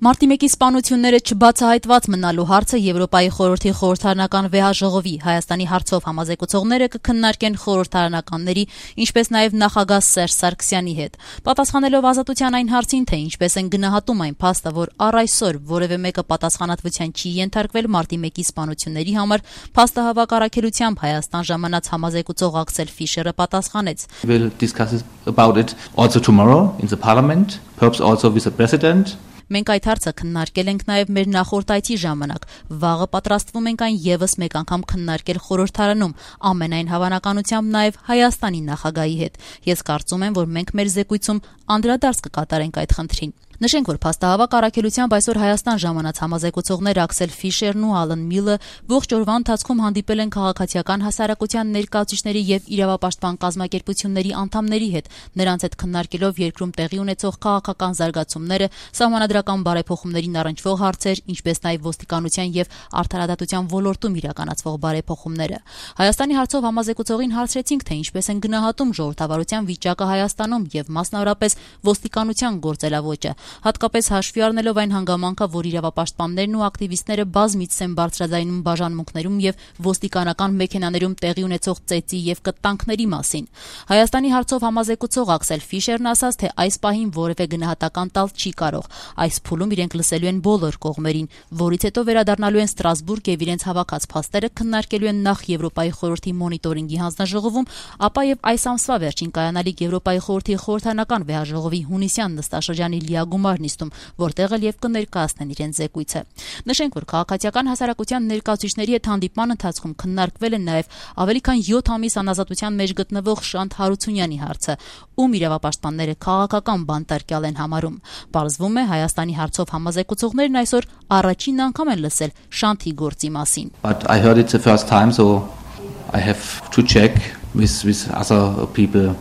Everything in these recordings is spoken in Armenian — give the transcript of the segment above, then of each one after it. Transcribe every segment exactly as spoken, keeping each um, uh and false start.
Մարտի մեկի սպանությունները չբացահայտված մնալու հարցը Եվրոպայի խորհրդի խորհրդարանական վեհաժողովի Հայաստանի հարցով համազեկուցողները կքննարկեն խորհրդարանականների, ինչպես նաև նախագահ Սերժ Սարգսյանի հետ։ Պատասխանելով Ազատության այն հարցին, թե ինչպես են գնահատում այն փաստը, որ առ այսօր որևէ մեկը պատասխանատվության չի ենթարկվել մարտի մեկի սպանությունների համար, փաստահավաք առաքելությամբ Հայաստան ժամանած համազեկուցող Աքսել Ֆիշերը պատասխանեց. We'll discuss about it also tomorrow in the parliament, perhaps also with the president. Մենք այդ հարցը քննարկել ենք նաև մեր նախորդ այցի ժամանակ, վաղը պատրաստվում ենք այն ևս մեկ անգամ քննարկել խորհրդարանում, ամենայն հավանականությամբ նաև Հայաստանի նախագահի հետ։ Ես կարծում եմ, որ մենք մեր զեկույցում անդրադարձ կկատարենք այդ խնդրին։ Նշենք, որ փաստահավաք առաքելությամբ այսօր Հայաստան ժամանած համազեկուցողներ Աքսել Ֆիշերն ու Ալեն Միլը ողջ օրվա ընթացքում հանդիպել են քաղաքացիական հասարակության ներկայացուցիչների եւ իրավապաշտպան կազմակերպությունների անդամների հետ, նրանց հետ քննարկելով երկրում տեղի ունեցող քաղաքական զարգացումները, սահմանադրական բարեփոխումներին առնչվող հարցեր, ինչպես նաև ոստիկանության եւ արդարադատության ոլորտում իրականացվող բարեփոխումները։ Հայաստանի հարցով համազեկուցողին հարցրեցինք, թե ինչպես են գնահատում ժողովրդավարության վիճակը Հայաստանում եւ մասնավորապես ոստիկանության գործելավոճը։ Հատկապես հաշվի առնելով այն հանգամանքը, որ իրավապաշտպաններն ու ակտիվիստները բազմիցս են բարձրաձայնում բաժանմունքներում եւ ոստիկանական մեքենաներում տեղի ունեցող ծեծի եւ կտանքների մասին։ Հայաստանի հարցով համազեկուցող Աքսել Ֆիշերն ասաց, թե այս պահին որևէ գնահատական տալ չի կարող։ Այս փուլում իրենք լսելու են բոլոր կողմերին, որից հետո վերադառնալու են Ստրասբուրգ եւ իրենց հավաքած փաստերը քննարկելու են նախ Եվրոպայի խորհրդի մոնիտորինգի հանձնաժողովում, ապա եւ այս ամսվա վերջին կայանալիք Եվրոպայի խորհրդի խորհրդարանական վեհաժողովի հունիսյան նստաշրջանի լիագումար նիստում, որտեղ էլ եւ կներկայացնեն իրենց զեկույցը։ Նշենք, որ քաղաքացիական հասարակության ներկայացուցիչների հետ հանդիպման ընթացքում քննարկվել են նաեւ ավելի քան յոթ ամիս անազատության մեջ գտնվող Շանթ Հարությունյանի հարցը, ում իրավապաշտպանները քաղաքական բանտարկյալ են համարում։ Պարզվում է, Հայաստանի հարցով համազեկուցողներն այսօր առաջին անգամ են լսել Շանթի գործի մասին։ But I heard it the first time, so I have to check with with other people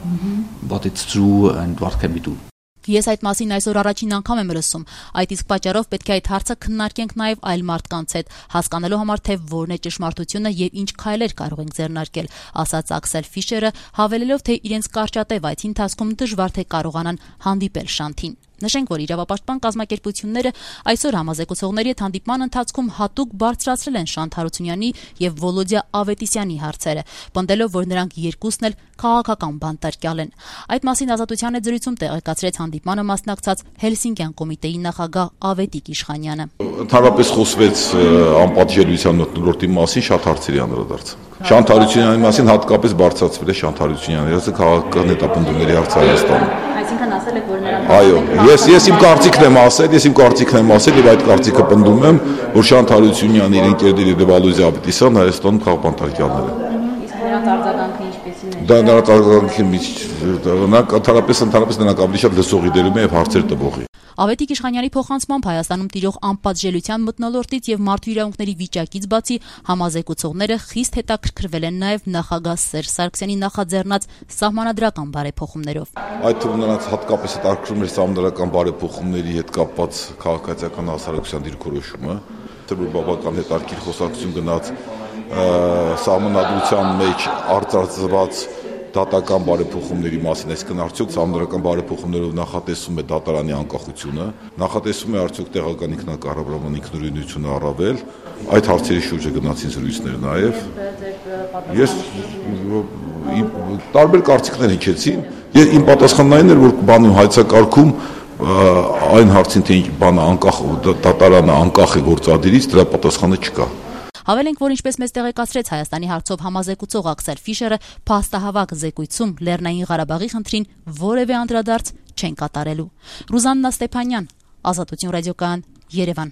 what it's true and what can we do. Ես այդ մասին այսօր առաջին անգամ եմ լսում։ Այդ իսկ պատճառով պետք է այդ հարցը քննարկենք նաև այլ մարդկանց հետ, հասկանալու համար, թե որն է ճշմարտությունը եւ ինչ քայլեր կարող ենք ձեռնարկել, ասաց Աքսել Ֆիշերը, հավելելով, թե իրենց կարճատև այցի ընթացքում դժվար թե կարողանան հանդիպել Շանթին։ Նշենք, որ իրավապաշտպան կազմակերպությունները այսօր համազեկուցողների հետ հանդիպման ընթացքում հատուկ բարձրացրել են Շանթ Հարությունյանի եւ Վոլոդիա Ավետիսյանի հարցերը, պնդելով, որ նրանք երկուսն էլ քաղաքական բանտարկյալ են։ Այդ մասին Ազատության հետ զրույցում տեղեկացրեց հանդիպմանը մասնակցած Հելսինկյան կոմիտեի նախագահ Ավետիք Իշխանյանը։ Ընդհանրապես խոսվեց անպատժելիության մթնոլորտի մասին, շատ հարցերի անդրադարձ։ Շանթ Հարությունյանի մասին հատկապես բարձրացվել է Շանթ Հարությունյանի հարցը քաղաքական հետապնդումների հարց Հայաստանում։ Այսինքն ասել եք, որ նրանք Այո, ես ես իմ կարծիքն եմ ասել, ես իմ կարծիքն եմ ասել եւ այդ կարծիքը պնդում եմ, որ Շանթ Հարությունյանի իր ընկերները եւ Վալոդիա Ավետիսյան Հայաստանում քաղաքապանտարկյալներ են։ Իսկ նրանց արձագանքը ինչպեսին է։ Դա նրանց արձագանքի նրանք ընդհանրապես ընդհանրապես նրանք ավելի շատ լսողի դերում են եւ հարցեր տվողի։ Ավետիք Իշխանյանի փոխանցմամբ Հայաստանում տիրող անպատժելիության մթնոլորտից եւ մարդու իրավունքների վիճակից բացի համազեկուցողները խիստ հետաքրքրվել են նաեւ նախագահ Սերժ Սարգսյանի նախաձեռնած սահմանադրական բարեփոխումներով։ Այդ թվում նրանց հատկապես հետաքրքրում էր սահմանադրական բարեփոխումների հետ կապված քաղաքացիական հասարակության դիրքորոշումը, որ բավական հետաքրքիր խոսակցություն գնաց սահմանադրության մեջ արձարծված դատական բարեփոխումների մասին, այսինքն արդյոք սահմանադրական բարեփոխումներով նախատեսում է դատարանի անկախությունը, նախատեսում է արդյոք տեղական ինքնակառավարման ինքնուրույնությունը առավել, այդ հարցերի շուրջը գնացին զրույցներ նաև։ Ես տարբեր կարծիքներ հնչեցին, ես իմ պատասխանն այն էր, որ բանում հայցակարգում այն հարցին, թե բանը անկախ դատարանը անկախ է գործադիրից, դրա պատասխանը չկա։ Հավելենք, որ ինչպես մեզ տեղեկացրեց Հայաստանի հարցով համազեկուցող Աքսել Ֆիշերը, փաստահավաք զեկույցում Լեռնային Ղարաբաղի խնդրին որևէ անդրադարձ չեն կատարելու։ Ռուզաննա Ստեփանյան, Ազատություն ռադիոկայան, Երևան։